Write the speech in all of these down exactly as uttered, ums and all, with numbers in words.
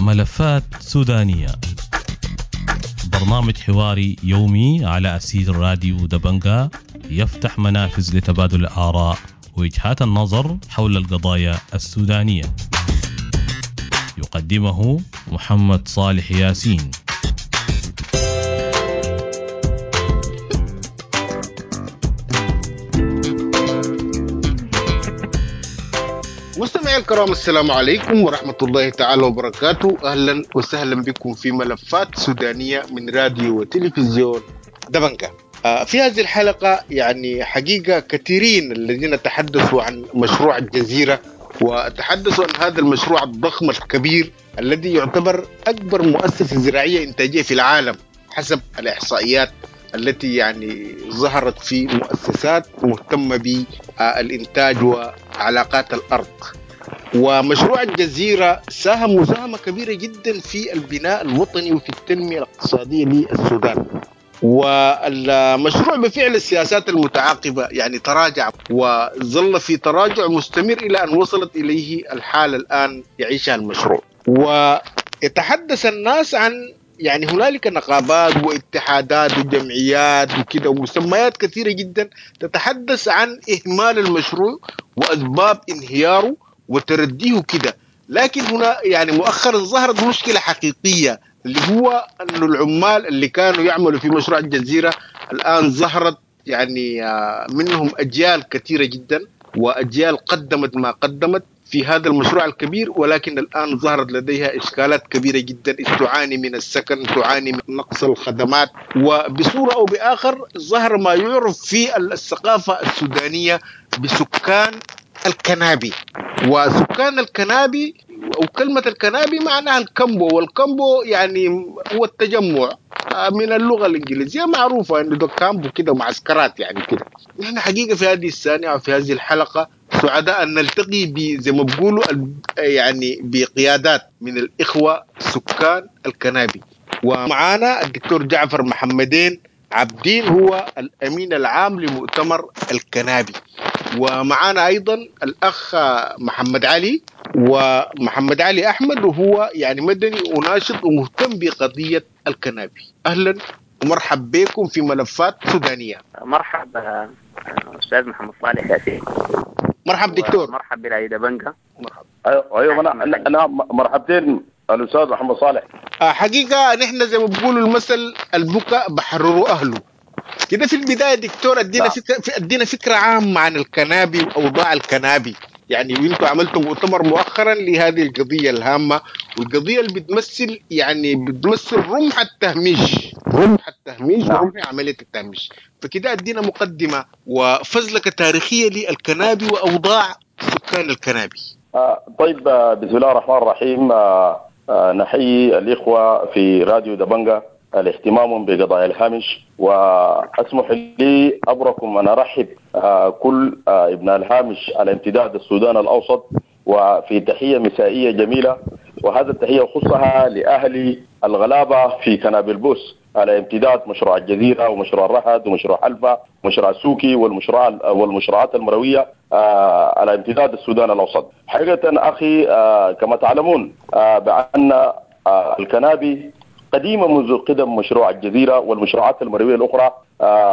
ملفات سودانية، برنامج حواري يومي على أثير راديو دبنقا، يفتح منافذ لتبادل الآراء ووجهات النظر حول القضايا السودانية. يقدمه محمد صالح ياسين. مستمعي الكرام، السلام عليكم ورحمة الله تعالى وبركاته. أهلا وسهلا بكم في ملفات سودانية من راديو وتلفزيون دبنقا. في هذه الحلقة يعني حقيقة كثيرين الذين تحدثوا عن مشروع الجزيرة، وتحدثوا عن هذا المشروع الضخم الكبير الذي يعتبر أكبر مؤسسة زراعية إنتاجية في العالم حسب الإحصائيات التي يعني ظهرت في مؤسسات مهتمة بالإنتاج وعلاقات الأرض. ومشروع الجزيرة ساهم مساهمة كبيرة جدا في البناء الوطني وفي التنمية الاقتصادية للسودان. والمشروع بفعل السياسات المتعاقبة يعني تراجع وظل في تراجع مستمر إلى أن وصلت إليه الحالة الآن يعيشها المشروع. ويتحدث الناس عن يعني هنالك نقابات واتحادات وجمعيات وكده ومسميات كثيرة جدا تتحدث عن إهمال المشروع وأسباب انهياره وترديه كده. لكن هنا يعني مؤخرا ظهرت مشكلة حقيقية، اللي هو أن العمال اللي كانوا يعملوا في مشروع الجزيرة الآن ظهرت يعني منهم أجيال كثيرة جدا، وأجيال قدمت ما قدمت في هذا المشروع الكبير، ولكن الآن ظهرت لديها إشكالات كبيرة جدا، تعاني من السكن، تعاني من نقص الخدمات، وبصورة أو بآخر ظهر ما يعرف في الثقافة السودانية بسكان الكنابي. وسكان الكنابي أو كلمة الكنابي معناها الكامبو، والكامبو يعني هو التجمع من اللغة الإنجليزية معروفة إنه ده كامبو كده معسكرات يعني كده. نحن حقيقة في هذه الثانية وفي هذه الحلقة سعداء أن نلتقي زي ما بيقولوا يعني بقيادات من الإخوة سكان الكنابي. ومعانا الدكتور جعفر محمدين عبدين، هو الأمين العام لمؤتمر الكنابي. ومعانا أيضا الأخ محمد علي، ومحمد علي أحمد، وهو يعني مدني وناشط ومهتم بقضية الكنابي. أهلا ومرحب بكم في ملفات سودانية. مرحبا أستاذ محمد صالح ياسين. مرحب دكتور. مرحب براديو دبنقا. مرحب. أيوة أنا أنا مرحبتين الأستاذ محمد صالح. حقيقة نحن زي ما بيقولوا المثل البكاء بحرروا أهله كده. في البداية دكتور ادينا فكرة، ادينا فكرة عامة عن الكنابي وأوضاع الكنابي. يعني وانتوا عملتوا مؤتمر مؤخرا لهذه القضية الهامة، والقضية اللي بتمثل يعني بتمثل رمح التهميش، رمح التهميش ورمح عملية التهميش. فكده ادينا مقدمة وفزلكة تاريخية للكنابي وأوضاع سكان الكنابي. آه طيب، بسم الله الرحمن الرحيم. آه آه نحيي الإخوة في راديو دبنقا الاهتمام بقضايا الهامش، وأسمح لي أبركم أن أرحب كل ابن الهامش على امتداد السودان الأوسط، وفي تحية مسائية جميلة، وهذا التحية خصها لأهل الغلابة في كنابي البوس على امتداد مشروع الجزيرة ومشروع الرهد ومشروع حلفا ومشروع السوكي والمشروع والمشروعات المروية على امتداد السودان الأوسط. حقيقة أخي كما تعلمون بأن الكنابي قديمة منذ قدم مشروع الجزيرة والمشروعات المروية الأخرى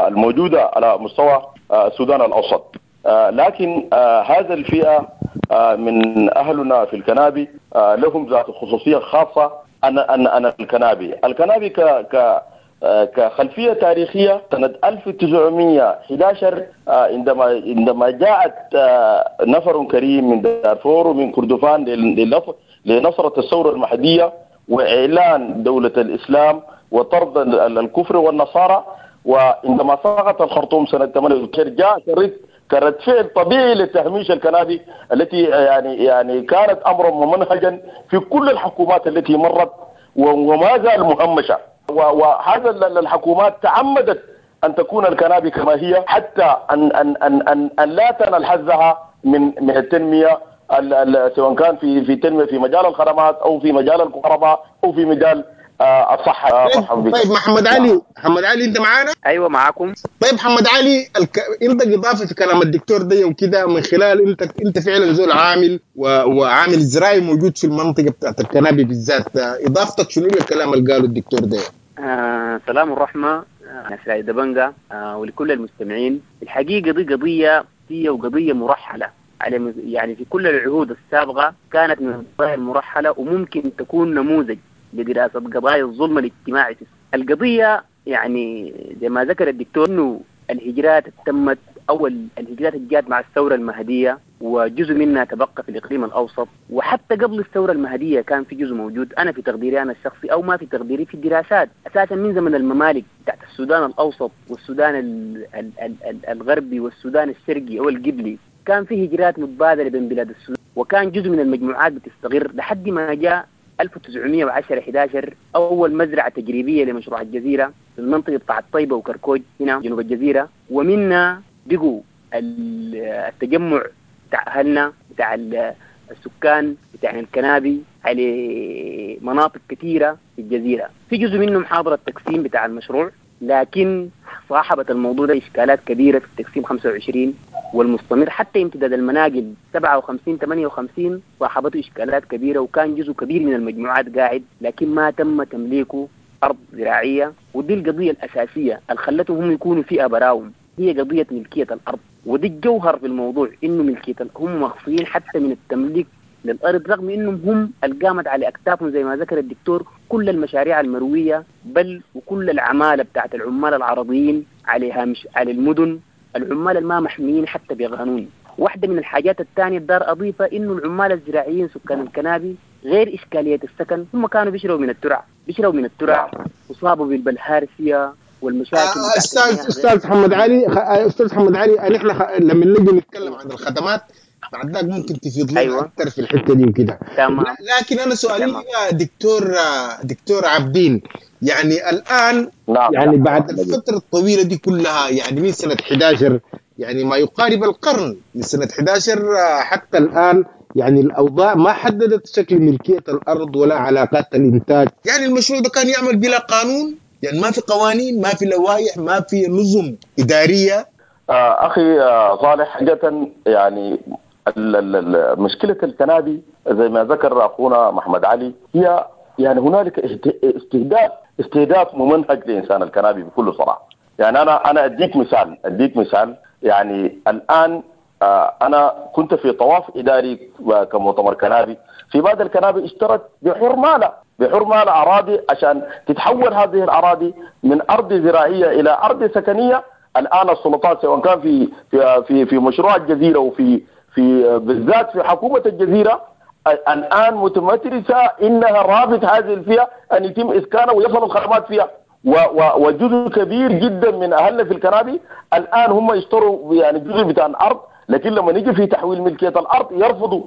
الموجودة على مستوى السودان الأوسط، لكن هذا الفئة من أهلنا في الكنابي لهم ذات خصوصية خاصة. أن أن أن الكنابي الكنابي ك ك كخلفية تاريخية سنة ألف وتسعمائة وأحد عشر عندما عندما جاءت نفر كريم من دارفور ومن كردفان لنصرة الثورة المهدية وإعلان دولة الإسلام وطرد الكفر والنصارى، وعندما سقط الخرطوم سنة ثمانية وتسعين جاء كرد كرد فعل طبيعي لتهميش الكنابي التي يعني يعني كانت أمرا ممنهجا في كل الحكومات التي مرت وما زال مهمشة. وهذا الحكومات تعمدت أن تكون الكنابي كما هي حتى أن أن أن أن, أن لا تنال حظها من من التنمية، سواء كان في في تنمية في مجال الخدمات أو في مجال الكهرباء أو في مجال الصحة. طيب, طيب محمد علي، محمد علي انت معانا؟ ايوه معاكم. طيب محمد علي، الك... انت اضافه في كلام الدكتور ده وكده، من خلال انت انت فعلا زول عامل و... وعامل زراعي موجود في المنطقة بتاعت الكنابي بالذات، اضافتك شنو للكلام اللي قاله الدكتور ده؟ آه سلام الرحمة ناس راديو دبنجة آه ولكل المستمعين. الحقيقة دي قضية هي وقضية مرحلة على يعني في كل العهود السابقة كانت من القضايا المرحلة، وممكن تكون نموذج لدراسة قضايا الظلم الاجتماعي. القضية يعني زي ما ذكر الدكتور انه الهجرات تمت او الهجرات اللي جات مع الثورة المهدية وجزء منها تبقى في الاقليم الاوسط، وحتى قبل الثورة المهدية كان في جزء موجود. انا في تقديري انا الشخصي او ما في تقديري في الدراسات اساسا من زمن الممالك بتاعت السودان الاوسط والسودان ال ال ال ال الغربي والسودان الشرقي او القبلي كان في هجرات متبادلة بين بلاد السودان، وكان جزء من المجموعات بتستقر لحد ما جاء ألف وتسعمية وعشرة أحد عشر أول مزرعة تجريبية لمشروع الجزيرة في المنطقة بتاعت طيبة وكركوج هنا جنوب الجزيرة، ومنها بقوا التجمع بتاع أهلنا بتاع السكان بتاع الكنابي على مناطق كثيرة في الجزيرة. في جزء منهم حاضر التقسيم بتاع المشروع، لكن صاحبت الموضوع ده إشكالات كبيرة في التقسيم خمسة وعشرين والمستمر حتى امتداد المناقل سبعة وخمسين ثمانية وخمسين صاحبته إشكالات كبيرة، وكان جزء كبير من المجموعات قاعد لكن ما تم تمليكه أرض زراعية. ودي القضية الأساسية اللي خلتهم هم يكونوا فئة براهم، هي قضية ملكية الأرض. ودي الجوهر في الموضوع، إنه ملكية هم مخفيين حتى من التمليك للأرض، رغم إنهم هم القامت على أكتافهم زي ما ذكر الدكتور كل المشاريع المروية، بل وكل العمالة بتاعت العمال العربيين عليها مش على المدن، العمال الما محميين حتى بقانون. واحدة من الحاجات الثانية الدار أضيفة إنه العمال الزراعيين سكان الكنابي غير إشكالية السكن، هم كانوا بيشربوا من الترع بيشربوا من الترع وصابوا بالبلهارسية والمشاكل. أستاذ أستاذ محمد علي، أستاذ محمد علي، نحن لما نجي نتكلم عن الخدمات بعد ذاك ممكن تفيض لنا أيوة. أكثر في الحتة دي وكده. لكن أنا سؤالي دكتور دكتور عابدين، يعني الآن نعم. يعني بعد الفترة الطويلة دي كلها، يعني من سنة أحد عشر، يعني ما يقارب القرن من سنة أحد عشر حتى الآن، يعني الأوضاع ما حددت شكل ملكية الأرض ولا علاقات الإنتاج. يعني المشروع ده كان يعمل بلا قانون، يعني ما في قوانين، ما في لوائح، ما في نظم إدارية. أخي صالح، حقيقة يعني مشكلة الكنابي زي ما ذكر أخونا محمد علي هي يعني هنالك استهداف استهداف ممنهج لإنسان الكنابي بكل صراحة. يعني أنا أنا أديك مثال أديك مثال يعني الآن أنا كنت في طواف إداري كمؤتمر كنابي في بعض الكنابي اشترت بحرمالة بحرمالة أراضي عشان تتحول هذه الأراضي من أرض زراعية إلى أرض سكنية. الآن السلطات سواء كان في في في, في مشروع الجزيرة وفي في بالذات في حكومة الجزيرة الآن متمترسة إنها رافض هذه الفئة أن يتم إسكانها ويصل الخدمات فيها، وجزء كبير جدا من أهلنا في الكنابي الآن هم يشتروا يعني جزء بتاع الأرض، لكن لما نيجي في تحويل ملكية الأرض يرفضوا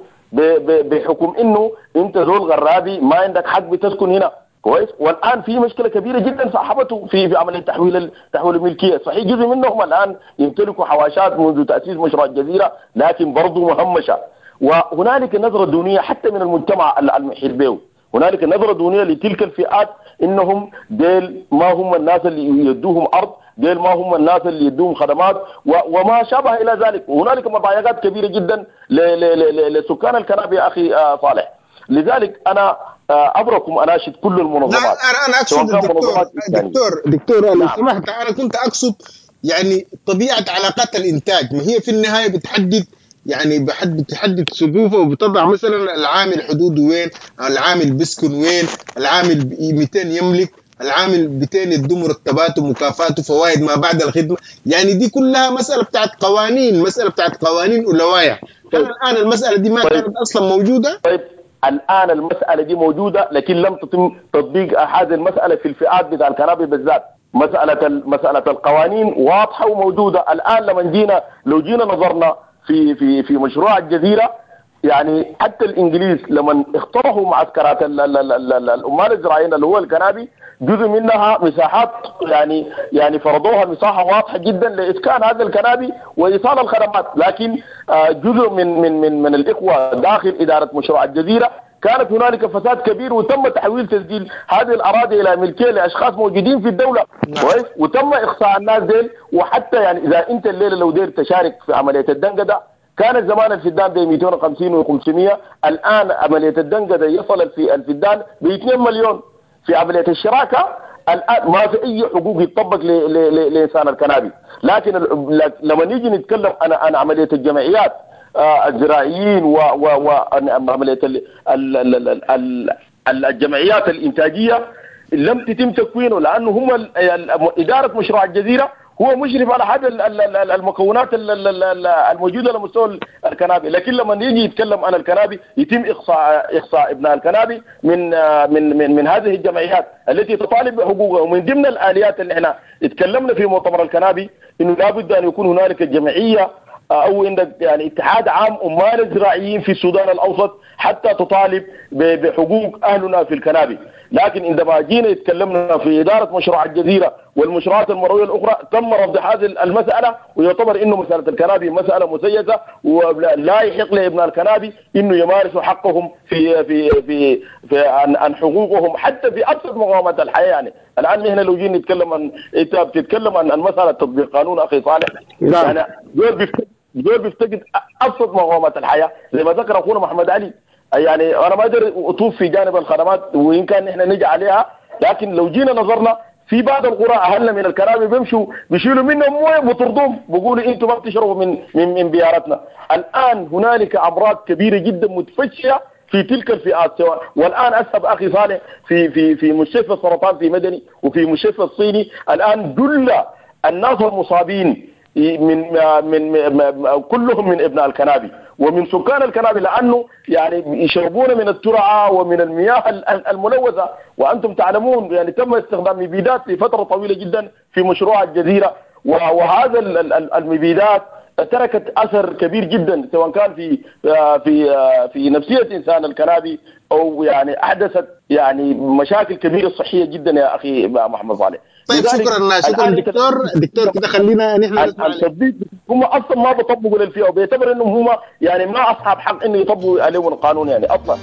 بحكم إنه أنت زول غرابي ما عندك حق بتسكن هنا. كويس. والآن في مشكلة كبيرة جدا صاحبته في في عملية تحويل تحويل الملكية. صحيح جزء منهم الآن يمتلكوا حواشات منذ تأسيس مشروع الجزيرة، لكن برضه مهمشة، وهنالك نظرة دونية حتى من المجتمع المحيط به. هنالك نظرة دونية لتلك الفئات إنهم ديل ما هم الناس اللي يدوهم أرض، ديل ما هم الناس اللي يدوهم خدمات وما شابه إلى ذلك. وهنالك مضايقات كبيرة جدا لسكان الكنابي يا أخي صالح. لذلك أنا أبركم أناشد كل المنظمات. لا أنا أنا أقصد الدكتور دكتور دكتور لو نعم. سمحت، أنا كنت أقصد يعني طبيعة علاقات الإنتاج، ما هي في النهاية بتحدد يعني بحد بتحدد سقوفه وبتضع مثلا العامل حدوده وين، العامل بيسكن وين، العامل مئتين يملك، العامل مئتين يدوا مرتباته ومكافاته فوائد ما بعد الخدمة. يعني دي كلها مسألة بتاعت قوانين، مسألة بتاعت قوانين ولوائح. طيب. الآن المسألة دي ما طيب. كانت أصلا موجودة. طيب الآن المسألة دي موجودة، لكن لم تتم تطبيق هذه المسألة في الفئات بتاع الكنابي بالذات. مسألة مسألة القوانين واضحة وموجودة الآن. لما جينا لو جينا نظرنا في في في مشروع الجزيرة، يعني حتى الإنجليز لما اخترعوا معسكرات العمال الزراعيين اللي هو الكنابي، جزء منها مساحات يعني يعني فرضوها مساحة واضحة جدا لإسكان هذا الكنابي وإيصال الخدمات، لكن جزء من من من من الإخوة داخل إدارة مشروع الجزيرة كانت هنالك فساد كبير، وتم تحويل تسجيل هذه الاراضي الى ملكية لاشخاص موجودين في الدولة. كويس، وتم اقصاء الناس ديل. وحتى يعني اذا انت الليلة لو دير تشارك في عملية الدنقده، كان زمان الفدان ب مئتين وخمسين وخمسمية، الان عملية الدنقده يصل في الفدان ب اثنين مليون. في عملية الشراكة الان ما في اي حقوق يطبق لانسان الكنابي. لكن لما نيجي نتكلم عن عن عملية الجمعيات الزراعيين وعملية الجمعيات الانتاجية لم تتم تكوينه، لانه هم ادارة مشروع الجزيرة هو مشرف على هذا المكونات الموجودة على مستوى الكنابي. لكن لما يجي يتكلم عن الكنابي يتم اقصاء اقصاء ابناء الكنابي من من من, من هذه الجمعيات التي تطالب بحقوقها. ومن ضمن الاليات اللي احنا اتكلمنا في مؤتمر الكنابي انه لابد ان يكون هنالك جمعية او عندك يعني اتحاد عام عمال الزراعيين في السودان الاوسط حتى تطالب بحقوق اهلنا في الكنابي. لكن عندما جينا يتكلمنا في ادارة مشروع الجزيرة والمشروعات المروية الاخرى تم رفض هذه المسالة، ويعتبر انه مسالة الكنابي مسالة مسيسه ولا يحق لابناء الكنابي انه يمارسوا حقهم في في في, في عن, عن حقوقهم حتى في ابسط مقومات الحياة. يعني الان نحن لو جينا نتكلم عن انت بتتكلم عن عن مسالة تطبيق قانون اخي صالح، يعني دول بيفتقد دول بيفتقد ابسط مقومات الحياة زي ما ذكر اخونا محمد علي. يعني انا ما اقدر اطوف في جانب الخدمات وان كان نحن نجي عليها، لكن لو جينا نظرنا في بعض القرى اهلنا من الكرامي بيمشوا بيشيلوا منهم مويه بيطردوهم، بيقولوا انتم ما بتشربوا من من من بيارتنا. الان هنالك امراض كبيرة جدا متفشيه في تلك الفئات سواء. والان اذهب اخي صالح في في في مستشفى السرطان في مدني وفي مستشفى الصيني، الان دل الناس المصابين من من, من كلهم من ابناء الكنابي ومن سكان الكنابي، لانه يعني يشربون من الترعه ومن المياه الملوثة. وانتم تعلمون يعني تم استخدام مبيدات لفترة طويلة جدا في مشروع الجزيرة، وهذا المبيدات تركت اثر كبير جدا سواء كان في في في نفسية انسان الكنابي او يعني احدثت يعني مشاكل كبيرة صحية جدا يا اخي محمد صالح. طيب شكرا شكرا دكتور. دكتور كده خلينا نحن التطبيق هم اصلا ما بيطبقوا للفئه وبيعتبر انهم هم يعني ما اصحاب حق انه يطبقوا عليهم القانون يعني اصلا.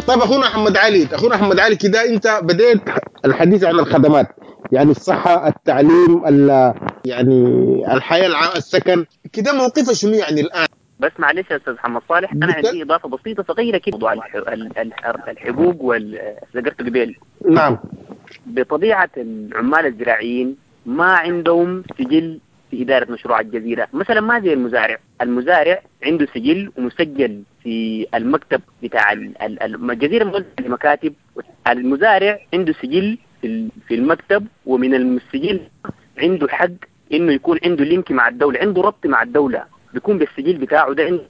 طيب اخونا احمد علي، اخونا احمد علي كده انت بديت الحديث عن الخدمات، يعني الصحة، التعليم، يعني الحياة العامة، السكن، كده موقفه شنو يعني الان؟ بس معلش يا استاذ محمد صالح، انا عندي اضافه بسيطة صغيرة كده موضوع الحقوق وال ذكرته قبل. نعم. بطبيعة العمال الزراعيين ما عندهم سجل في إدارة مشروع الجزيرة، مثلا ما زي المزارع، المزارع عنده سجل ومسجل في المكتب بتاع الجزيرة، موزع لمكاتب، المزارع عنده سجل في المكتب، ومن السجل عنده حق إنه يكون عنده لينك مع الدولة، عنده ربط مع الدولة، بيكون بالسجل بتاعه ده عنده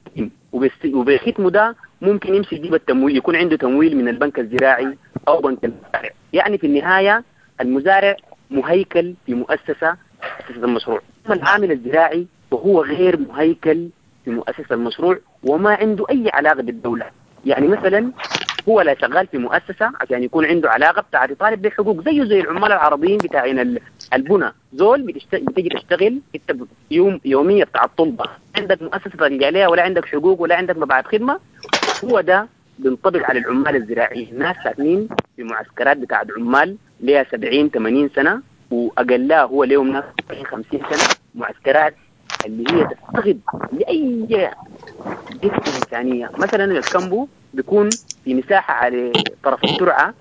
وبختمه ده ممكن يمشي يجيب التمويل، يكون عنده تمويل من البنك الزراعي أو بنك المزارع. يعني في النهاية المزارع مهيكل في مؤسسة مؤسسة المشروع. أما العامل الزراعي وهو غير مهيكل في مؤسسة المشروع وما عنده أي علاقة بالدولة. يعني مثلا هو لا شغال في مؤسسة عشان يكون عنده علاقة بتاع يطالب بحقوق زيه زي العمال العربيين بتاعين البنى، زول بتشت... بتجي تشتغل انت يوم يومية بتاع الطلبة، عندك مؤسسة ترجع لها ولا عندك حقوق ولا عندك مبعث خدمة. هو ده بينطبق على العمال الزراعيين، ناس ساكنين في معسكرات بتاعت عمال ليها سبعين ثمانين سنة واقلها هو ليهم ناس خمسين سنة، معسكرات اللي هي تفتقد لاي جهة انسانيه. مثلا الكامبو بيكون في مساحة على طرف الترعه،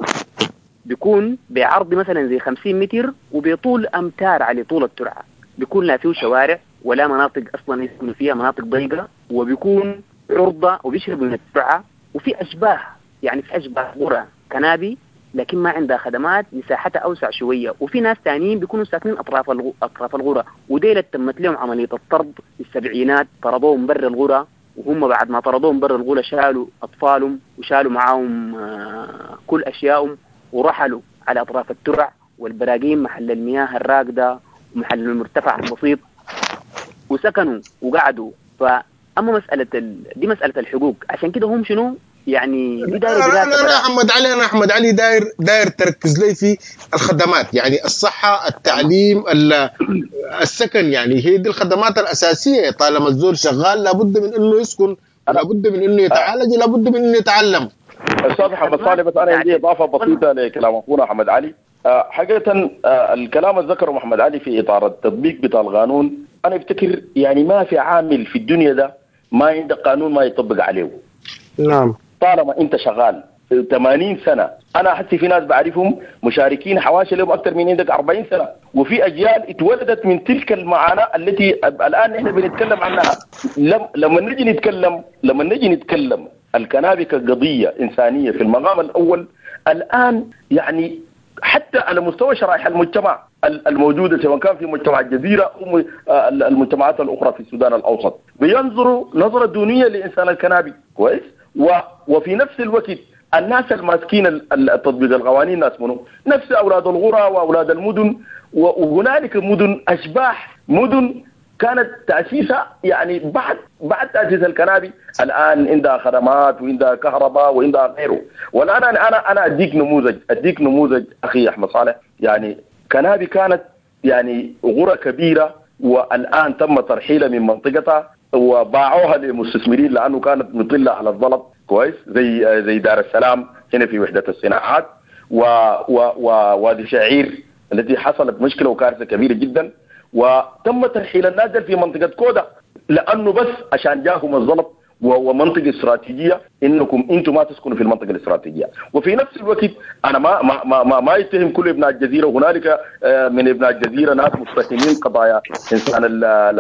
بيكون بعرض مثلا زي خمسين متر وبطول امتار على طول الترعه، بيكون لا فيه شوارع ولا مناطق اصلا يسكنوا فيها، مناطق ضيقه، وبيكون عرضه وبيشربوا من الترعه، وفي اشباه يعني في اشباه قرى كنابي لكن ما عندها خدمات، مساحتها اوسع شوية. وفي ناس ثانيين بيكونوا ساكنين اطراف اطراف الغرى، وديل تمت لهم عملية الطرد في السبعينات، طردوهم برا الغرى، وهم بعد ما طردوهم برا الغرى شالوا اطفالهم وشالوا معاهم كل اشيائهم ورحلوا على اطراف الترع والبراقيم محل المياه الراكده ومحل المرتفع البسيط، وسكنوا وقعدوا. فاما مسالة ال... دي مسالة الحقوق، عشان كده هم شنو يعني دي داير انا انا احمد علي انا احمد علي داير داير تركز لي في الخدمات، يعني الصحة، التعليم، السكن، يعني هي دي الخدمات الاساسية. طالما الزول شغال لابد من انه يسكن، لابد من انه يتعالج، لابد من انه يتعلم. استاذ محمد صالح، بس انا عندي اضافه بسيطة لكلام اخونا احمد علي. حقيقة الكلام اللي ذكره محمد علي في اطار التطبيق بتاع القانون، انا افتكر يعني ما في عامل في الدنيا ده ما عنده قانون ما يطبق عليه. نعم. طالما انت شغال ثمانين سنة، انا حتى في ناس بعرفهم مشاركين حواشي لهم اكثر من عندك أربعين سنة، وفي اجيال اتولدت من تلك المعاناة التي الان احنا بنتكلم عنها. لم لما نجي نتكلم لما نجي نتكلم الكنابي كقضية انسانيه في المقام الاول الان، يعني حتى على مستوى شرائح المجتمع الموجودة سواء كان في مجتمع الجزيرة او المجتمعات الاخرى في السودان الاوسط، بينظروا نظره دونية لانسان الكنابي. كويس. وفي نفس الوقت الناس الماسكين تطبيق القوانين ناس منو؟ نفس اولاد القرى واولاد المدن، وهنالك مدن اشباح، مدن كانت تاسيسها يعني بعد بعد تاسيس الكنابي، الان عندها خدمات وعندها كهرباء وعندها غيره. والان انا انا انا اديك نموذج اديك نموذج اخي احمد صالح. يعني كنابي كانت يعني غرة كبيرة، والان تم ترحيلها من منطقتها وباعوها للمستثمرين لانه كانت مطله على الزلط. كويس. زي زي دار السلام هنا في وحده الصناعات و و ووادي شعير التي حصلت مشكلة وكارثة كبيرة جدا، وتم ترحيل الناس في منطقة كودا لانه بس عشان جاهم الزلط ومنطقة استراتيجية انكم انتم ما تسكنوا في المنطقة الاستراتيجية. وفي نفس الوقت انا ما ما ما ما, ما يتهم كل ابناء الجزيرة، وهنالك من ابناء الجزيرة ناس متفهمين قضايا انسان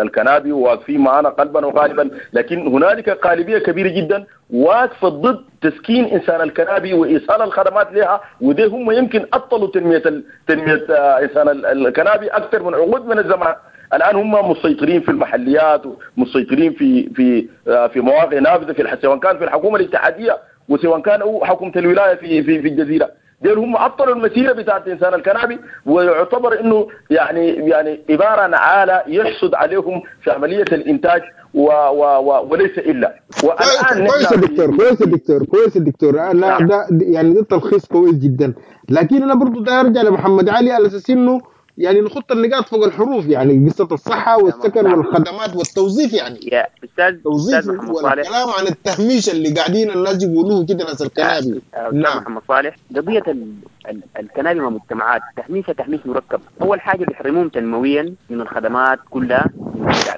الكنابي وواقفين معنا قلبا وقالبا، لكن هنالك قالبيه كبيرة جدا واقفة ضد تسكين انسان الكنابي وايصال الخدمات لها، وده هم يمكن عطلوا تنمية تنمية انسان الكنابي اكثر من عقود من الزمان. الان هم مسيطرين في المحليات ومسيطرين في في في مواقع نافذة في سواء كان في الحكومة الاتحادية وسواء كان حكومة الولاية في في في الجزيرة. دول هم عطلوا المسيرة بتاعت انسان الكنابي، ويعتبر انه يعني يعني عبارة عن عالة يحصد عليهم في عملية الانتاج و و و وليس الا. والان كويس يا دكتور، كويس يا دكتور، كويس يا دكتور. لا ده يعني ده تلخيص كويس جدا، لكن انا برضه ده ارجع لمحمد علي على اساس انه يعني نحط النقاط فوق الحروف، يعني قصة الصحة والسكن والخدمات والتوظيف. يعني يا أستاذ توظيف والكلام عن التهميش اللي قاعدين الناس يقولوه كده ناس الكنابي. نعم محمد صالح، قضية ال ال الكنابي مع مجتمعات تهميشها تهميش مركب. أول حاجة بيحرموهم تنمويا من الخدمات كلها،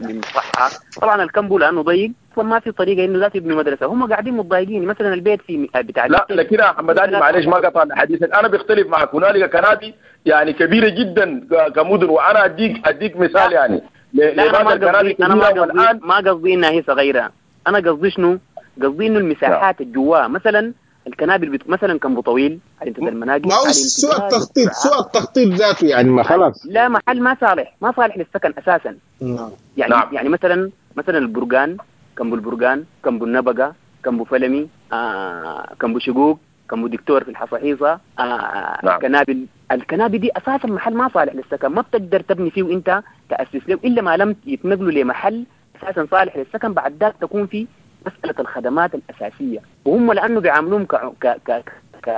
من الصحة. طبعا الكمبو لأنه ضيق اصلا ما في طريقه انه لا تبني مدرسه، هم قاعدين متضايقين. مثلا البيت في بتاع لا لكن يا محمد علي معلش ما قطع حديثك، انا بختلف معك. هنالك كنابي يعني كبيرة جدا كمدن، وانا اديك اديك مثال يعني لا انا ما قصدي انا ما قصدي ما قصدي انها هي صغيرة، انا قصدي شنو؟ قصدي انه المساحات الجواه مثلا الكنابل بت... مثلا كمبو طويل على امتداد المناقل، ما هو سوء التخطيط، سوء التخطيط ذاته يعني ما خلاص لا محل ما صالح، ما صالح للسكن اساسا. نعم. يعني نعم. يعني مثلا مثلا البرقان، كمبو البرقان، كمبو النبقة، كمبو فلمي، آه، كمبو شقوق، كمبو دكتور في الحصاحيصة، آه، نعم. كنابل الكنابل دي اساسا محل ما صالح للسكن، ما بتقدر تبني فيه وانت تاسس له الا ما لم يتنقلوا لمحل اساسا صالح للسكن. بعد ذاك تكون في مسألة الخدمات الأساسية، وهم لأنه بيعاملوهم ك... ك... ك... ك...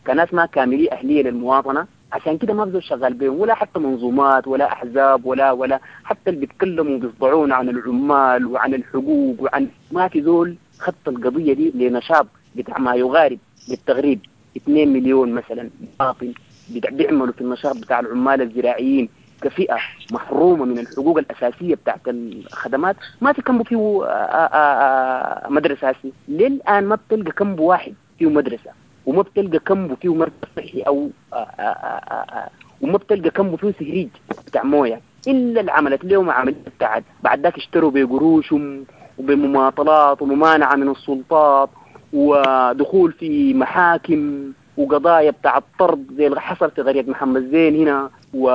كناس ما كاملي أهلية للمواطنة، عشان كده ما بزول شغال بيهم، ولا حتى منظومات ولا أحزاب ولا ولا حتى اللي بيتكلموا بيصدعون عن العمال وعن الحقوق وعن ما في زول خط القضية دي لنشاط بتاع ما يغارب للتغريب. اثنين مليون مثلا باطن بيعملوا في النشاط بتاع العمال الزراعيين كفئة محرومة من الحقوق الأساسية بتاعت الخدمات. ما في كمبو فيه مدرسة هسي للآن، ما بتلقى كمبو واحد فيه مدرسة، وما بتلقى كمبو فيه مركز صحي أو آآ آآ آآ وما بتلقى كمبو فيه سهريج بتاع موية، إلا اللي عملت لهم عملية بتاعت بعد ذاك اشتروا بقروشهم وبمماطلات وممانعة من السلطات ودخول في محاكم وقضايا بتاع الطرد زي اللي حصل في قرية محمد زين هنا، و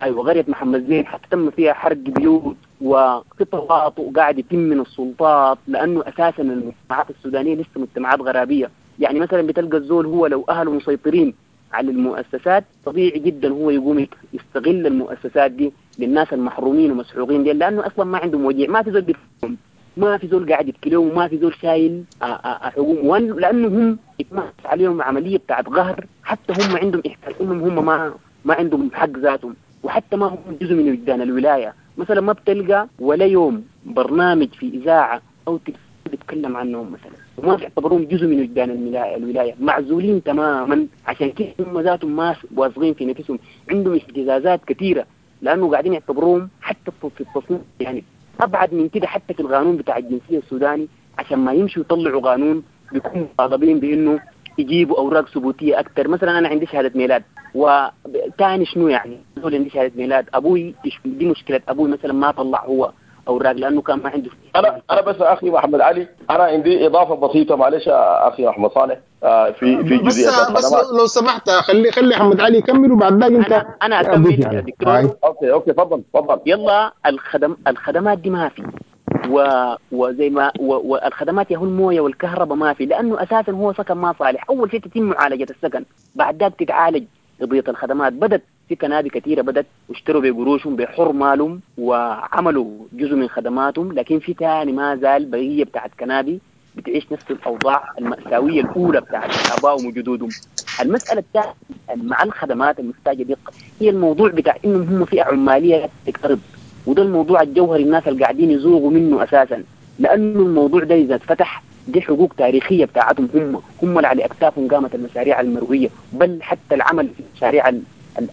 ايوه قرية محمد زين حتى تم فيها حرق بيوت وفي تواطؤ قاعد يتم من السلطات، لانه اساسا المجتمعات السودانية لسه مجتمعات غرابيه. يعني مثلا بتلقى الزول هو لو اهله مسيطرين على المؤسسات طبيعي جدا هو يقوم يستغل المؤسسات دي للناس المحرومين ومسحوقين دي، لانه اصلا ما عندهم وجيع، ما في زول بيفهم، ما في زول قاعد يتكلم، وما في زول شايل حقوق، لانه هم اتمارس عليهم عملية بتاعت قهر، حتى هم عندهم احساس انهم هم ما ما عندهم حق ذاتهم، وحتى ما هم جزء من وجدان الولاية. مثلا ما بتلقى ولا يوم برنامج في اذاعة او تلفزيون بيتكلم عنهم مثلا، وما بيعتبروهم جزء من وجدان الولاية، معزولين تماما. عشان كده هم ذاتهم ما واثقين في نفسهم، عندهم اهتزازات كثيرة لانه قاعدين يعتبروهم حتى في التصنيف يعني ابعد من كده، حتى في القانون بتاع الجنسية السوداني عشان ما يمشوا يطلعوا قانون بيكونوا مطالبين بانه يجيبوا اوراق ثبوتية اكثر. مثلا انا عندي شهادة ميلاد، وثاني شنو يعني زول عندي شهادة ميلاد، ابوي دي مشكلة، ابوي مثلا ما طلع هو اوراق لانه كان ما عنده. انا انا بس اخي محمد علي، انا عندي اضافه بسيطة معلش اخي احمد صالح في في جزئية بس, بس لو سمحت خلي خلي احمد علي يكمل وبعد ذاك انت انا, أنا اكمل يا دكتور. okay okay تفضل تفضل. يلا الخدم الخدمات دي ما في، و وزي ما و... والخدمات يا هو المويه والكهرباء ما في، لانه اساسا هو سكن ما صالح. اول شيء تتم معالجة السكن، بعد ذاك تتعالج قضية الخدمات. بدت في كنادي كثيرة بدت واشتروا بقروشهم بحر مالهم وعملوا جزء من خدماتهم، لكن في ثاني ما زال بقية بتاعت كنادي بتعيش نفس الاوضاع المأساوية الاولى بتاعت ابائهم وجدودهم. المسالة الثانية مع الخدمات المحتاجه دقه هي الموضوع بتاع انهم هم فئة عماليه تقترض، وده الموضوع الجوهري الناس اللي قاعدين يزوغوا منه اساسا، لانه الموضوع ده اذا اتفتح دي حقوق تاريخية بتاعتهم هم هم اللي على اكتافهم قامت المشاريع المروية، بل حتى العمل في المشاريع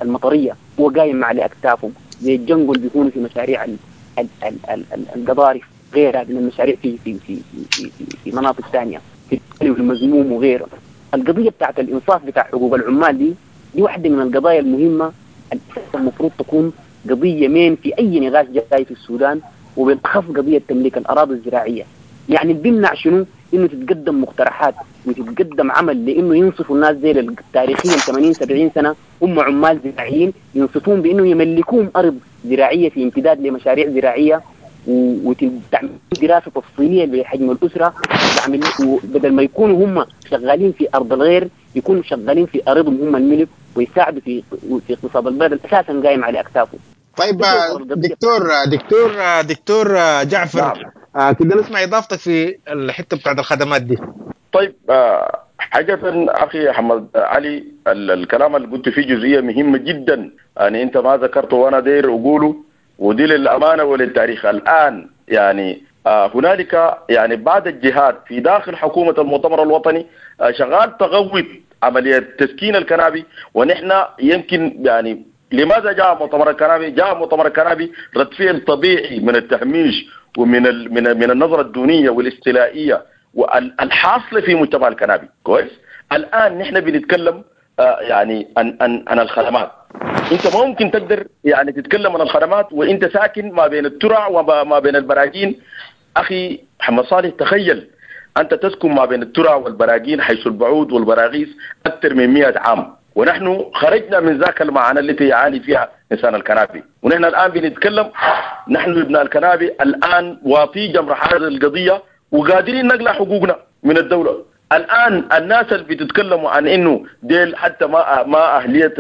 المطريه هو قايم على اكتافهم، زي الجنجل بيكونوا في مشاريع ال ال ال ال ال القضارف غيرها من المشاريع في في في في في, في مناطق ثانية في المزموم وغيره. القضية بتاعت الانصاف بتاع حقوق العمال دي دي واحدة من القضايا المهمة المفروض تكون قضية مين في اي نقاش جاي في السودان، وبالاخص قضية تمليك الاراضي الزراعية. يعني اللي بيمنع شنو؟ انه تتقدم مقترحات وتتقدم عمل لانه ينصفوا الناس زي تاريخيا ثمانين سبعين سنة هم عمال زراعيين، ينصفون بانه يملكون ارض زراعية في امتداد لمشاريع زراعية، وتعمل دراسة تفصيلية لحجم الاسرة، تعمل بدل ما يكونوا هم شغالين في ارض الغير يكونوا شغالين في ارضهم هم الملك، ويساعدوا في في اقتصاد البلد اساسا قايم على اكتافه. طيب دكتور دكتور دكتور جعفر، نعم. آه كده نسمع اضافتك في الحتة بتاعت الخدمات دي. طيب آه حاجة اخي احمد علي، الكلام اللي قلت فيه جزئية مهمة جدا، يعني انت ما ذكرته وانا داير اقوله، ودي للامانة وللتاريخ. الان يعني آه هنالك يعني بعض الجهات في داخل حكومة المؤتمر الوطني آه شغال تغوط عملية تسكين الكنابي، ونحن يمكن يعني لماذا جاء مؤتمر الكنابي؟ جاء مؤتمر الكنابي رد فعل طبيعي من التهميش ومن من من النظرة الدونيه والاستيلائيه والحاصله في مجتمع الكنابي. كويس؟ الان نحن بنتكلم آه يعني عن عن عن الخدمات. انت ما ممكن تقدر يعني تتكلم عن الخدمات وانت ساكن ما بين الترع وما بين البراجين. اخي محمد صالح، تخيل انت تسكن ما بين الترع والبراجين حيث البعوض والبراغيث اكثر من مئة عام، ونحن خرجنا من ذاك المعاناة التي يعاني فيها إنسان الكنابي، ونحن الآن بنتكلم نحن ابناء الكنابي الآن واطي جمر هذه القضية وقادرين نقلع حقوقنا من الدولة. الآن الناس اللي بتتكلموا عن إنه ديل حتى ما ما أهلية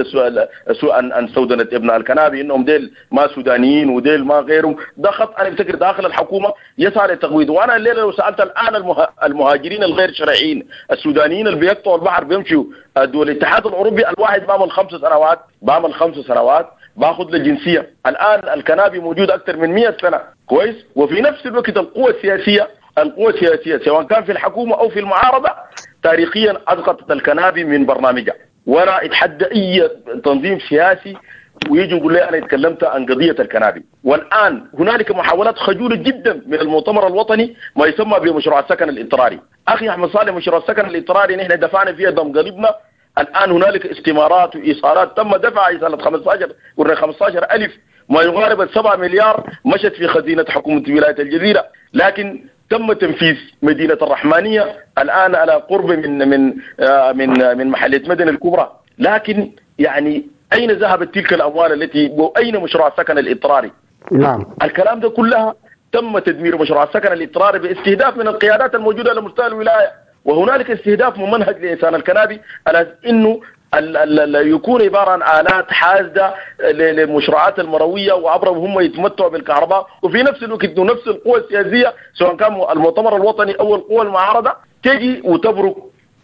سوء عن سودنة ابناء الكنابي إنهم ديل ما سودانيين وديل ما غيرهم، ده خط أنا بفتكر داخل الحكومة يسعى لتقويض. وأنا الليلة لو سألت الآن المهاجرين الغير شرعيين السودانيين اللي بيقطعوا البحر بيمشوا دول الاتحاد الأوروبي، الواحد بعمل خمس سنوات بعمل خمس سنوات باخذ الجنسية. الآن الكنابي موجود أكثر من مئة سنة، كويس؟ وفي نفس الوقت القوى السياسية القوى السياسية سواء كان في الحكومة أو في المعارضة تاريخيا أسقطت الكنابي من برنامجها. وأنا أتحدى أي تنظيم سياسي ويجي يقول لي أنا اتكلمت عن قضية الكنابي. والآن هنالك محاولات خجولة جدا من المؤتمر الوطني ما يسمى بمشروع السكن الاضطراري. أخي أحمد صالح، مشروع السكن الاضطراري نحن دفعنا فيه دم قلبنا. الآن هنالك استمارات وإيصالات تم دفع سنة خمسة عشر قلنا خمسة عشر ألف ما يقارب سبعة مليار مشت في خزينة حكومة ولاية الجزيرة، لكن تم تنفيذ مدينة الرحمانية الآن على قرب من من من من محلية مدن الكبرى. لكن يعني أين ذهبت تلك الأموال التي وأين مشروع السكن الاضطراري؟ نعم. الكلام ده كلها تم تدمير مشروع السكن الاضطراري باستهداف من القيادات الموجودة على مستوى الولاية، وهنالك استهداف ممنهج لإنسان الكنابي على إنه ال ال يكون عبارة عن آلات حاسدة للمشروعات المروية وعبرهم هم يتمتعوا بالكهرباء، وفي نفس الوقت نفس القوى السياسية سواء كان المؤتمر الوطني أو القوى المعارضة تجي وتبرك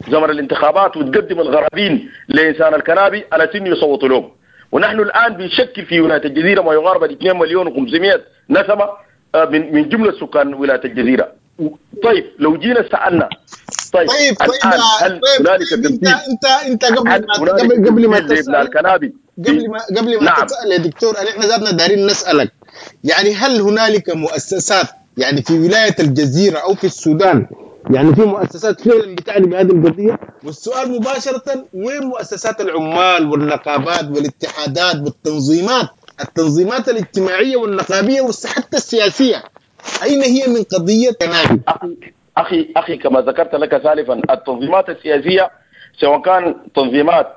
زمن الانتخابات وتقدم الغرابين لإنسان الكنابي على سن يصوتوا لهم. ونحن الآن بنشكل في ولاية الجزيرة ما يقارب اثنين مليون وخمسمائة نسمة من من جملة سكان ولاية الجزيرة. طيب لو جينا سألنا طيب طيب الآن هل طيب هنالك طيب انت تنفيذ؟ انت انت قبل هل ما هنالك قبل قبل ما تنفيذ لابناء تسال الكنابي؟ قبل ما قبل ما نعم. تسال يا دكتور، احنا ذاتنا دارين نسالك، يعني هل هنالك مؤسسات يعني في ولاية الجزيرة او في السودان يعني في مؤسسات فعلا بتعني بهذه القضية؟ والسؤال مباشرة، وين مؤسسات العمال والنقابات والاتحادات والتنظيمات، التنظيمات الاجتماعية والنقابيه وحتى السياسية، اين هي من قضية كنابي؟ أخي أخي أخي كما ذكرت لك سالفا، التنظيمات السياسية سواء كان تنظيمات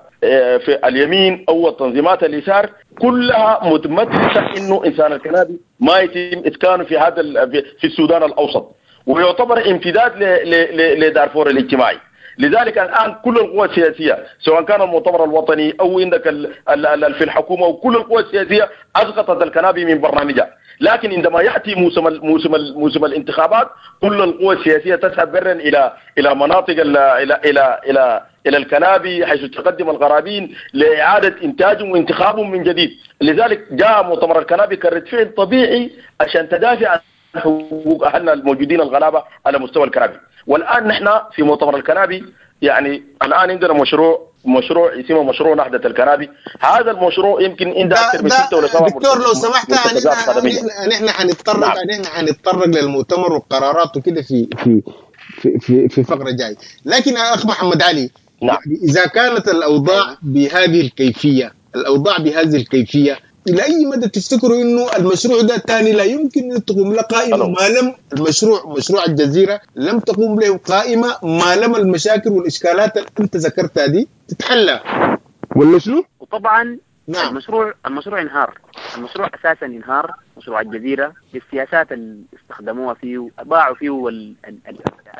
في اليمين أو التنظيمات اليسار كلها متمثلة إنه إنسان الكنابي ما يتم إسكانه في هذا في السودان الأوسط، ويعتبر امتداد لدارفور الاجتماعي. لذلك الآن كل القوى السياسية سواء كان المؤتمر الوطني أو عندك في الحكومة وكل القوى السياسية أسقطت الكنابي من برنامجها. لكن عندما يأتي موسم موسم موسم الانتخابات كل القوى السياسية تذهب برا إلى إلى مناطق إلى إلى إلى إلى الكنابي حيث تقدم الغرابين لإعادة إنتاجهم وانتخابهم من جديد. لذلك جاء مؤتمر الكنابي كرد فعل طبيعي عشان تدافع عن حقوق أهلنا الموجودين الغلابة على مستوى الكنابي. والآن نحن في مؤتمر الكنابي يعني الآن عندنا مشروع مشروع اسمه مشروع نهضة الكنابي. هذا المشروع يمكن عنده أكثر من ستة ولا سبعة. دكتور لو سمحت، نحن حنتطرق نحن حنتطرق للمؤتمر والقرارات وكده في في في في, في فقرة جاي. لكن أخ محمد علي، نعم. إذا كانت الأوضاع بهذه الكيفية، الأوضاع بهذه الكيفية، إلى أي مدى تفتكروا إنه المشروع ده تاني لا يمكن أن تقوم له قائمة ما لم المشروع مشروع الجزيرة لم تقوم له قائمة ما لم المشاكل والإشكالات اللي أنت ذكرتها دي تتحلى ولا شنو؟ وطبعا نعم. المشروع المشروع انهار، المشروع أساسا انهار، مشروع الجزيرة بالسياسات اللي استخدموها فيه باعوا فيه وال... ال... ال...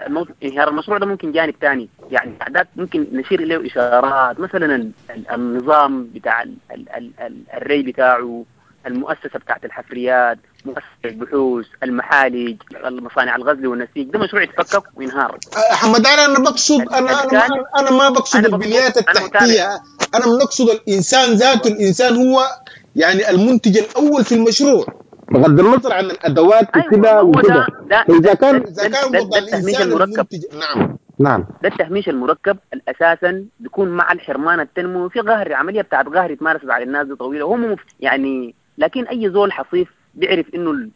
المو... انهيار المشروع ده ممكن جانب تاني، يعني أعداد ممكن نشير إليه إشارات، مثلا ال... ال... النظام بتاع ال... ال... ال... ال... الري بتاعه، المؤسسة بتاعت الحفريات، مؤسسة البحوث، المحالج، المصانع الغزل والنسيج، ده مشروع يتفكك وينهار. حمد علي، أنا بقصد أنا أنا أنا ما بقصد البنيات التحتية، أنا بنقصد الإنسان ذاته. الإنسان هو يعني المنتج الأول في المشروع بغض النظر عن الأدوات وكده وكده. إذا كان إذا كان وضع الإنسان المنتج، نعم نعم، ده التهميش المركب الأساسا بيكون مع الحرمان التنموي في قهر، عملية بتاعت قهر اتمارست على الناس دي طويلة وهم يعني. لكن أي زول حصيف بيعرف إنه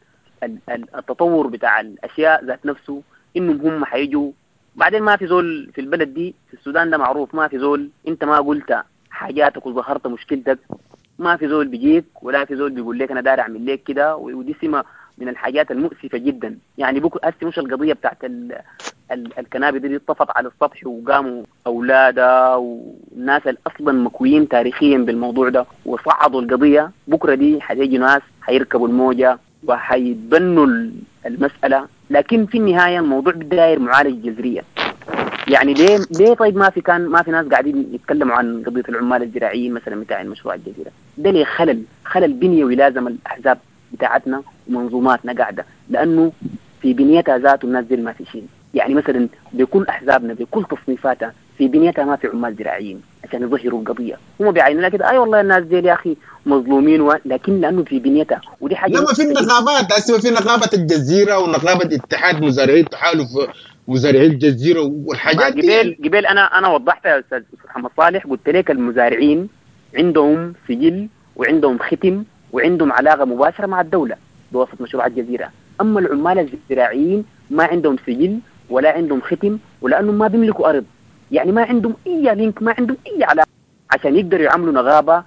التطور بتاع الأشياء ذات نفسه إنهم هم حيجوا بعدين. ما في زول في البلد دي في السودان ده معروف، ما في زول أنت ما قلت حاجاتك وظهرت مشكلتك ما في زول بيجيك ولا في زول بيقول لك أنا دار أعمل لك كده. ودي سمة من الحاجات المؤسفة جدا. يعني بكرة هسه مش القضية بتاعت ال ال الكنابي دي اتطفت على السطح وقاموا أولادها والناس اللي أصلا مكويين تاريخيا بالموضوع ده وصعدوا القضية. بكرة دي حيجي ناس حيركبوا الموجة وحيتبنوا المسألة، لكن في النهاية الموضوع بداير معالجة جذرية. يعني ليه ليه طيب ما في كان ما في ناس قاعدين يتكلموا عن قضية العمال الزراعيين مثلا بتاع المشروع الجزيرة ده؟ ليه خلل خلل بنيوي لازم الأحزاب بتاعتنا ومنظوماتنا قاعدة، لأنه في بنيتها ذاته الناس دي ما في شيء. يعني مثلا بكل أحزابنا بكل تصنيفاتها في بنيتها ما في عمال زراعيين. عشان يظهروا القضية. هم بيعينوا لها كده، اي والله الناس دي يا اخي مظلومين و... لكن لانه في بنيتها ودي حاجة. لا ما في النقابات هسه، في نقابة الجزيرة ونقابة اتحاد مزارعي تحالف مزارعي الجزيرة والحاجات دي. قبل قبل انا انا وضحت يا استاذ محمد صالح، قلت لك المزارعين عندهم سجل وعندهم ختم وعندهم علاقة مباشرة مع الدولة بواسطة مشروع الجزيرة. اما العمال الزراعيين ما عندهم سجل ولا عندهم ختم، ولانهم ما بيملكوا ارض، يعني ما عندهم اي link، ما عندهم اي علاقة عشان يقدروا يعملوا نغابه.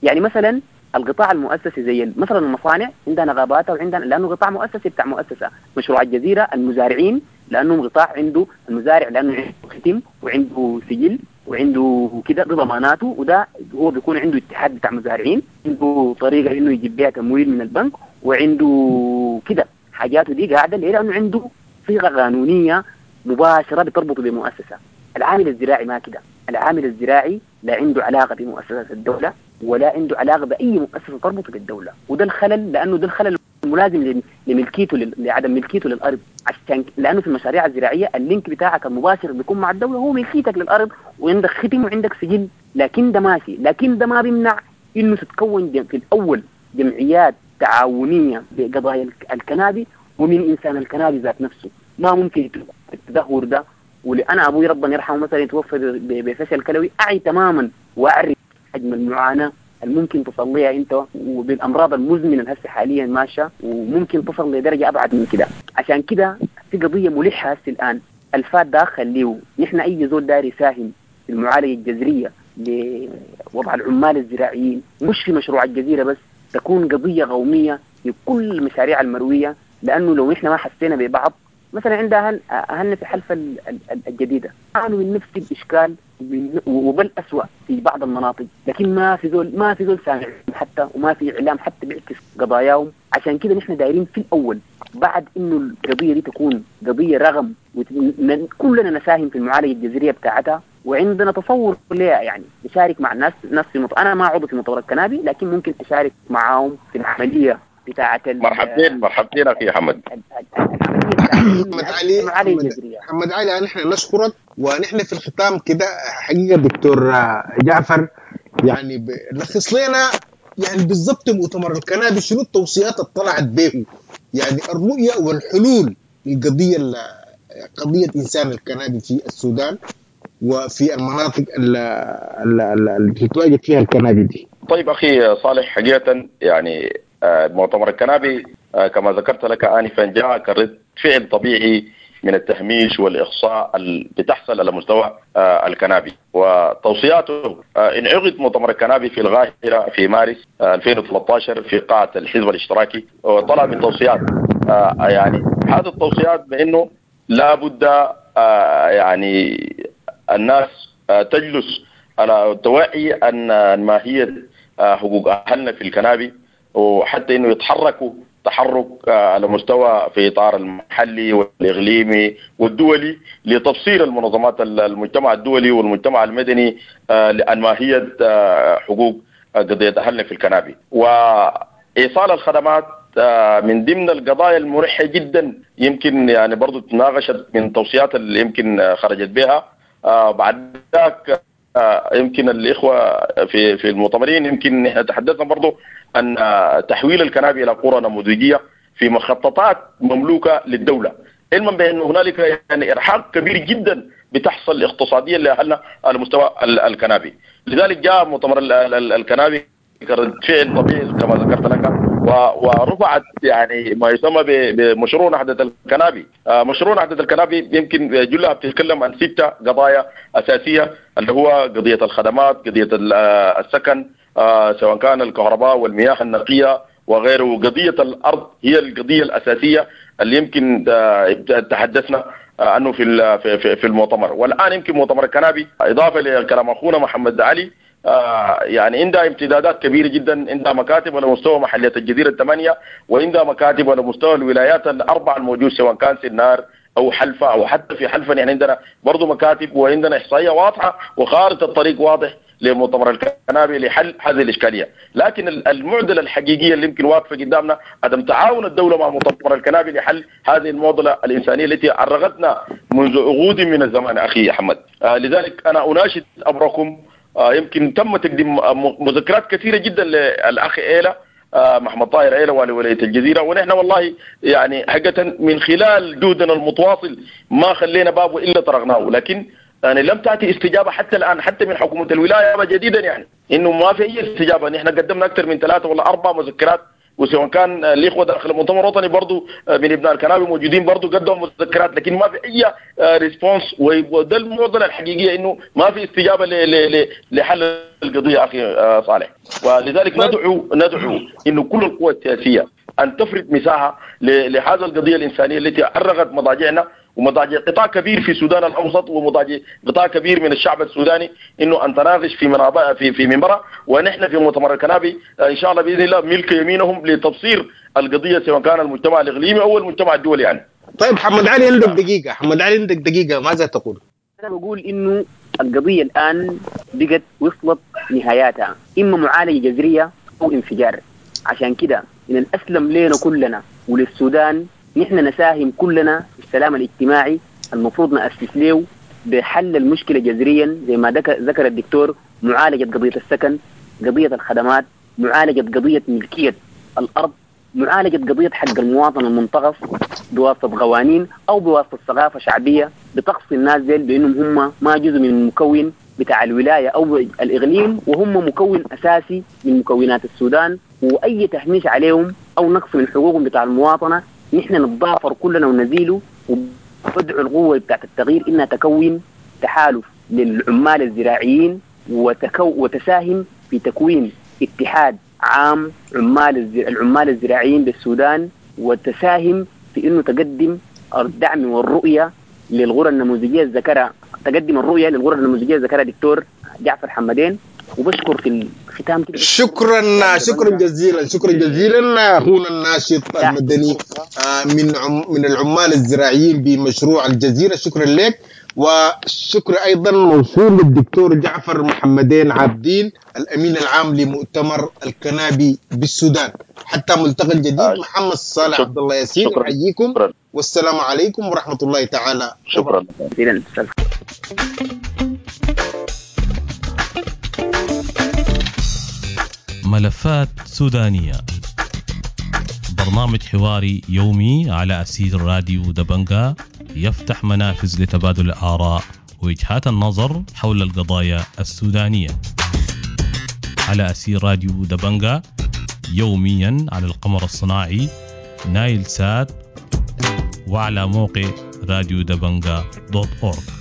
يعني مثلا القطاع المؤسسي زي مثلا المصانع عندها نغاباتها وعندها، لانه قطاع مؤسسي بتاع مؤسسة. مشروع الجزيرة المزارعين لانهم قطاع عنده المزارع لانه عنده ختم وعنده سجل وعنده كده بضماناته، وده هو بيكون عنده اتحاد بتاع مزارعين، عنده طريقه انه يجيب بيها تمويل من البنك، وعنده كده حاجاته دي قاعدة ليه؟ لانه عنده صيغة قانونية مباشرة بتربطه بمؤسسه. العامل الزراعي ما كده، العامل الزراعي لا عنده علاقة بمؤسسات الدولة ولا عنده علاقة باي مؤسسة تربطه بالدولة، وده الخلل، لانه ده الخلل الملازم لملكيته لعدم ملكيته للارض. عشان لانه في المشاريع الزراعية ال link بتاعك المباشر بيكون مع الدولة هو ملكيتك للارض، وعندك ختم وعندك سجل، لكن ده ماشي. لكن ده ما بيمنع انه تتكون في الاول جمعيات تعاونية بقضايا الكنابي ومن انسان الكنابي ذات نفسه. ما ممكن التدهور ده. ولأنا أبوي ربنا يرحمه مثلا يتوفى بفشل كلوي، أعي تماما وأعرف حجم المعاناة الممكن تصليها أنت وبالأمراض المزمنة هسه حاليا ماشية، وممكن تصل لدرجة أبعد من كده. عشان كده في قضية ملحة هسه الآن، الفات ده خليه نحن أي زول داري يساهم في المعالجة الجذرية لوضع العمال الزراعيين، مش في مشروع الجزيرة بس، تكون قضية قومية في كل المشاريع المروية. لأنه لو نحن ما حسينا ببعض، مثلا عند أهل أهلنا في حلفة الجديدة عانوا من نفس الإشكال وبل أسوأ في بعض المناطق، لكن ما في زول ما في زول سامع حتى، وما في إعلام حتى بيعكس قضاياهم. عشان كده نحن دايرين في الأول بعد إنه القضية دي تكون قضية رغم وكلنا نساهم في المعالجة الجذرية بتاعتها، وعندنا تصور لها، يعني نشارك مع الناس ناس في مط... أنا ما عضو في مؤتمر الكنابي، لكن ممكن أشارك معاهم في العملية بتاعة ال... مرحبتين مرحبتين أخي حمد. محمد علي محمد علي نحن نشكرك. ونحن في الختام كده حقيقة دكتور جعفر، يعني لخص لنا يعني بالضبط مؤتمر الكنابي شنو التوصيات اللي طلعت به، يعني الرؤية والحلول للقضية قضية إنسان الكنابي في السودان وفي المناطق اللي بتتواجد فيها الكنابي دي. طيب أخي صالح، حقيقة يعني مؤتمر الكنابي كما ذكرت لك آنفا جاء كرد فعل طبيعي من التهميش والإقصاء اللي بتحصل على مستوى الكنابي وتوصياته. انعقد مؤتمر الكنابي في القاهرة في مارس ألفين وثلاثة عشر في قاعة الحزب الاشتراكي، وطلع بالتوصيات. يعني هذه التوصيات بأنه لا بد يعني الناس تجلس على توعي أن ماهية حقوق أهلنا في الكنابي، وحتى انه يتحركوا تحرك على مستوى في اطار المحلي والاقليمي والدولي لتبصير المنظمات المجتمع الدولي والمجتمع المدني لان ماهية حقوق قضية اهلنا في الكنابي. وايصال الخدمات من ضمن القضايا المرحه جدا، يمكن يعني برضو تناقشت من توصيات اللي يمكن خرجت بها. بعد ذاك يمكن الاخوة في في المؤتمرين يمكن تحدثنا برضو ان تحويل الكنابي الى قرى نموذجيه في مخططات مملوكة للدولة، علما بان هنالك يعني ارهاق كبير جدا بتحصل اقتصاديا لاهلنا على مستوى الكنابي. لذلك جاء مؤتمر الكنابي كرد فعل طبيعي كما ذكرت لك، ورفعت يعني ما يسمى بمشروع نهضة الكنابي. مشروع نهضة الكنابي يمكن جلها بتتكلم عن ستة قضايا أساسية، اللي هو قضية الخدمات، قضية السكن سواء كان الكهرباء والمياه النقية وغيره، قضية الأرض هي القضية الأساسية اللي يمكن تحدثنا عنه في في المؤتمر. والآن يمكن مؤتمر الكنابي إضافة لكلام أخونا محمد علي آه يعني عندها امتدادات كبيرة جدا، عندها مكاتب على مستوى محلية الجزيرة الثمانية، وعندها مكاتب على مستوى الولايات الأربعة الموجود سواء كان سنار أو حلفة أو حتى في حلفة، يعني عندنا برضو مكاتب وعندنا إحصائية واضحة وخارطة الطريق واضح لمؤتمر الكنابي لحل هذه الإشكالية. لكن المعضلة الحقيقية اللي يمكن واقفة قدامنا عدم تعاون الدولة مع مؤتمر الكنابي لحل هذه المعضلة الإنسانية التي عرغتنا منذ عقود من الزمان أخي أحمد. آه لذلك أنا أناشد أمركم يمكن تم تقديم مذكرات كثيرة جدا للاخ ايلا محمد طاهر ايلا والي ولاية الجزيرة، ونحن والله يعني حقيقة من خلال جهدنا المتواصل ما خلينا بابه الا طرقناه، لكن يعني لم تاتي استجابة حتى الان، حتى من حكومة الولاية جديدا، يعني انه ما في اي استجابة. نحن قدمنا اكثر من ثلاثة ولا اربع مذكرات، وسواء كان الاخوة داخل المؤتمر الوطني برضه من ابناء الكنابي موجودين برضه قدموا مذكرات، لكن ما في اي response. وده المعضلة الحقيقية، انه ما في استجابة لحل القضية اخي صالح. ولذلك ندعو ندعو انه كل القوى السياسية ان تفرد مساحة لهذا القضية الانسانية التي ارغت مضاجعنا ومضاجع قطاع كبير في السودان الاوسط ومضاجع قطاع كبير من الشعب السوداني، انه ان تناقش في منابع في في منبرها. ونحن في مؤتمر الكنابي ان شاء الله باذن الله ملك يمينهم لتبصير القضية، سواء كان المجتمع الاقليمي او المجتمع الدولي يعني. طيب محمد علي عندك دقيقة، محمد علي عندك دقيقة، ماذا تقول؟ انا بقول انه القضية الان بقت وصلت نهاياتها، اما معالجة جذرية او انفجار. عشان كده من الاسلم لنا كلنا وللسودان نحن نساهم كلنا في السلام الاجتماعي المفروض نأسس له بحل المشكلة جذريا، زي ما ذكر الدكتور، معالجة قضية السكن، قضية الخدمات، معالجة قضية ملكية الأرض، معالجة قضية حق المواطن المنتقص بواسطة قوانين أو بواسطة ثقافة شعبية بتقصي الناس ديل بأنهم هم ما جزء من المكون بتاع الولاية أو الإقليم، وهم مكون أساسي من مكونات السودان، وأي تهميش عليهم أو نقص من حقوقهم بتاع المواطنة نحن نتضافر كلنا ونزيله. وبدعو القوة بتاعت التغيير إنها تكون تحالف للعمال الزراعيين وتكو وتساهم في تكوين اتحاد عام عمال العمال الزراعيين بالسودان، وتساهم في إنه تقدم الدعم والرؤية للغرة النموذجية الذكرها، تقدم الرؤية للغرة النموذجية ذكرها دكتور جعفر حمدين. وبشكر في الختام كده. شكرا شكرا جزيلا، شكرا جزيلا اخونا الناشط المدني من من العمال الزراعيين بمشروع الجزيرة، شكرا لك. وشكر ايضا موصول للدكتور جعفر محمدين عابدين الامين العام لمؤتمر الكنابي بالسودان. حتى ملتقى الجديد، محمد صالح عبد الله ياسين احييكم، والسلام عليكم ورحمة الله تعالى. شكرا جزيلا. ملفات سودانية، برنامج حواري يومي على أسير راديو دبنجا، يفتح منافذ لتبادل الآراء ووجهات النظر حول القضايا السودانية على أسير راديو دبنجا، يوميا على القمر الصناعي نايل سات وعلى موقع راديو دبنجا دوت أورج.